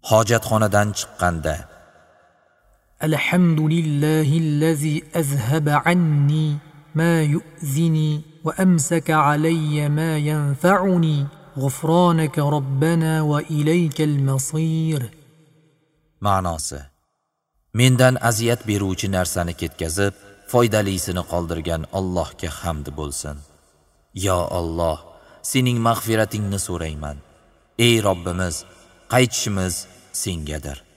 Hojatxonadan chiqqanda: الحمد لله الذي أذهب عني ما يؤذني وأمسك علي ما ينفعني غفرانك ربنا وإليك المصير. Ma'nosi: mendan aziyat beruvchi narsani ketkazib, foydalisini qoldirgan Allohga hamd bo'lsin. Yo Alloh, sening mag'firatingni so'rayman. Ey Robbimiz, qaytishimiz sengadir.